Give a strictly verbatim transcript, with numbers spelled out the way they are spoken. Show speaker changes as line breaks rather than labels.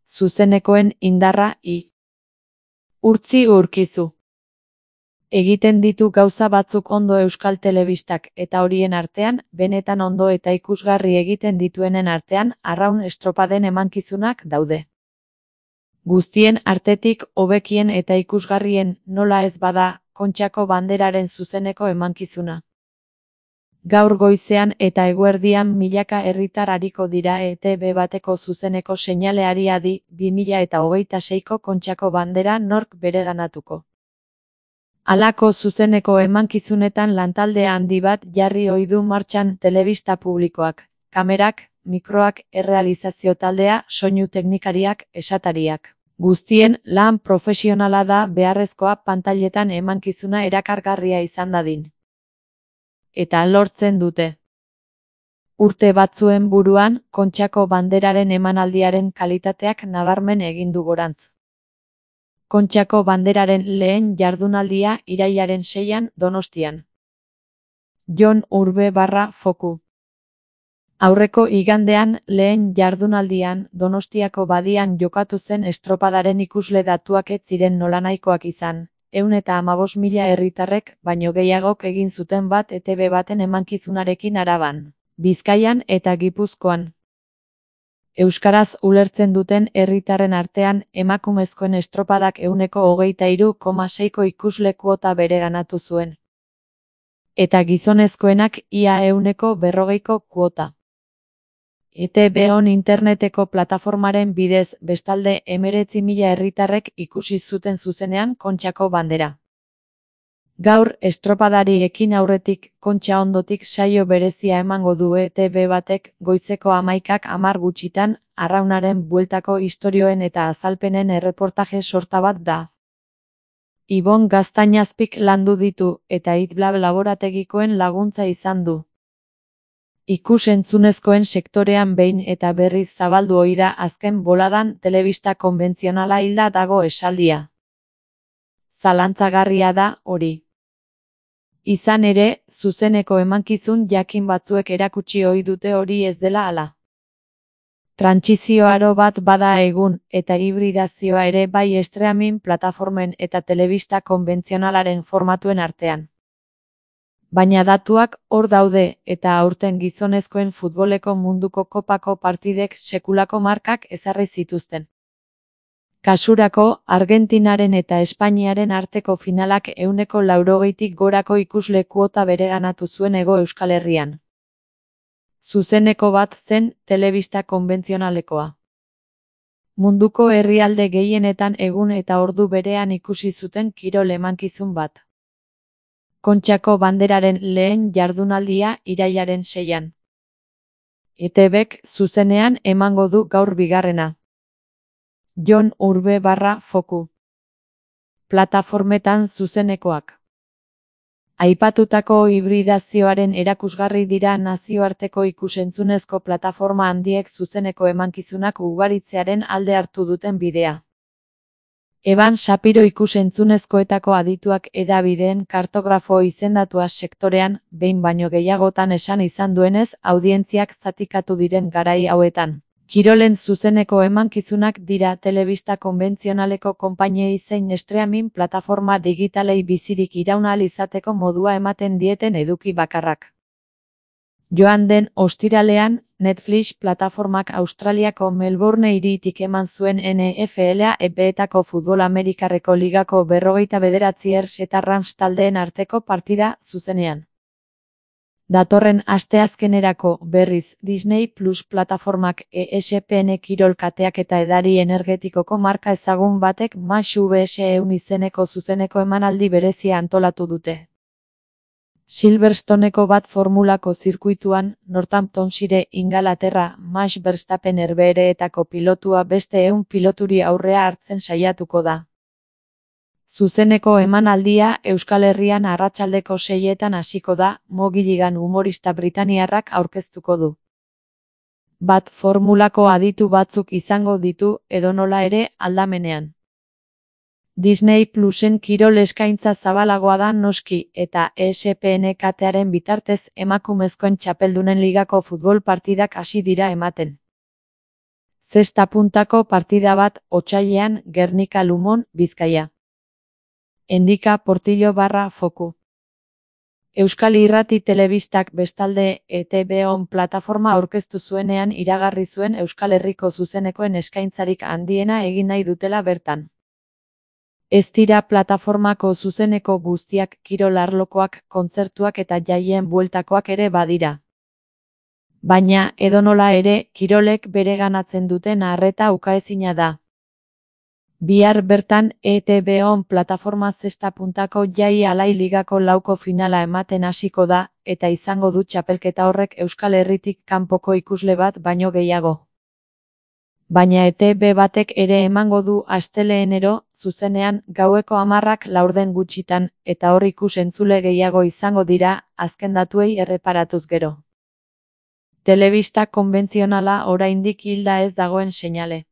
Zuzenekoen indarra i. Urtzi urkizu. Egiten ditu gauza batzuk ondo Euskal Telebistak eta horien artean, benetan ondo eta ikusgarri egiten dituenen artean, arraun estropaden emankizunak daude. Guztien artetik hobekien eta ikusgarrien, nola ez bada, Kontxako Banderaren zuzeneko emankizuna. Gaur goizean eta eguerdian milaka herritar ariko dira E T B bateko zuzeneko seinaleari adi, bi mila hogeita seiko Kontxako Bandera nork bereganatuko. Halako zuzeneko emankizunetan lantalde handi bat jarri ohi du martxan telebista publikoak, kamerak, mikroak, errealizazio taldea, soinu teknikariak, esatariak. Guztien lan profesionala da beharrezkoa pantailetan emankizuna erakargarria izan dadin. Eta lortzen dute. Urte batzuen buruan, Kontxako Banderaren emanaldiaren kalitateak nabarmen egin du gorantz. Kontxako Banderaren lehen jardunaldia irailaren seian Donostian. Jon Urbe barra foku. Aurreko igandean lehen jardunaldian Donostiako badian jokatu zen estropadaren ikusle datuak ez ziren nolanahikoak izan, ehun eta hamabost mila herritarrek baino gehiagok egin zuten bat E T B baten emankizunarekin Araban, Bizkaian eta Gipuzkoan. Euskaraz ulertzen duten herritarren artean emakumezkoen estropadak ehuneko hogeita hiru koma seiko ikusle kuota bereganatu zuen. Eta gizonezkoenak ia ehuneko berrogeiko kuota. E T B on interneteko plataformaren bidez bestalde hemeretzi mila herritarrek ikusi zuten zuzenean Kontxako Bandera. Gaur estropadari ekin aurretik Kontxa ondotik saio berezia emango du E T B batek goizeko hamaikak hamar gutxitan, arraunaren bueltako istorioen eta azalpenen erreportaje sorta bat da. Ibon Gaztañazpik landu ditu eta Itlab laborategikoen laguntza izan du. Ikus-entzunezkoen sektorean behin eta berriz zabaldu ohi da azken boladan telebista konbentzionala hilda dago esaldia. Zalantzagarria da hori. Izan ere, zuzeneko emankizun jakin batzuek erakutsi ohi dute hori ez dela hala. Trantsizio aro bat bada egun, eta hibridazioa ere bai streaming plataformen eta telebista konbentzionalaren formatuen artean. Baina datuak hor daude eta aurten gizonezkoen futboleko munduko kopako partidek sekulako markak ezarri zituzten. Kasurako, Argentinaren eta Espainiaren arteko finalak ehuneko laurogeitik gorako ikusle kuota bereganatu zuen Hego Euskal Herrian. Zuzeneko bat zen telebista konbentzionalekoa. Munduko herrialde gehienetan egun eta ordu berean ikusi zuten kirol emankizun bat. Kontxako Banderaren lehen jardunaldia irailaren seian. E T Bek zuzenean emango du gaur bigarrena. Jon Urbe barra foku. Plataformetan zuzenekoak. Aipatutako hibridazioaren erakusgarri dira nazioarteko ikusentzunezko plataforma handiek zuzeneko emankizunak ugaritzearen alde hartu duten bidea. Eban Shapiro ikusentzunezkoetako adituak hedabideen kartografo izendatua sektorean, behin baino gehiagotan esan izan duenez, audientziak zatikatu diren garai hauetan. Kirolen zuzeneko emankizunak dira telebista konbentzionaleko konpainiei zein streaming plataforma digitalei bizirik iraun ahal izateko modua ematen dieten eduki bakarrak. Joan den ostiralean, Netflix plataformak Australiako Melbourne hiritik eman zuen N F L A epeetako futbol Amerikarreko ligako berrogeita bederatzi Ers eta Rams taldeen arteko partida zuzenean. Datorren asteazkenerako berriz Disney Plus plataformak E S P N kirol kateak eta edari energetikoko marka ezagun batek Match V S ehun izeneko zuzeneko emanaldi berezia antolatu dute. Silverstoneko bat formulako zirkuituan, Northamptonshire Ingalaterra, Max Verstappen Herbehereetako pilotua beste ehun piloturi aurrea hartzen saiatuko da. Zuzeneko emanaldia Euskal Herrian arratsaldeko seietan hasiko da, Mo Gilligan humorista britainiarrak aurkeztuko du. Bat formulako aditu batzuk izango ditu, edonola ere, aldamenean. Disney Plusen kirol eskaintza zabalagoa da noski, eta E S P N katearen bitartez emakumezkoen txapeldunen ligako futbol partidak hasi dira ematen. Zesta puntako partida bat otsailean Gernika Lumon, Bizkaia. Endika Portillo barra Foku. Euskal Irrati Telebistak bestalde E T B on plataforma aurkeztu zuenean iragarri zuen Euskal Herriko zuzenekoen eskaintzarik handiena egin nahi dutela bertan. Ez dira plataformako zuzeneko guztiak kirol arlokoak, kontzertuak eta jaien bueltakoak ere badira. Baina, edonola ere, kirolek bereganatzen duten arreta ukaezina da. Bihar bertan E T B on plataforma zesta puntako jai alai ligako lauko finala ematen hasiko da, eta izango du txapelketa horrek Euskal Herritik kanpoko ikusle bat baino gehiago. Baina E T B batek ere emango du astelehenero, zuzenean, gaueko hamarrak laurden gutxitan, eta hor ikus-entzule gehiago izango dira, azken datuei erreparatuz gero. Telebista konbentzionala oraindik hilda ez dagoen seinale.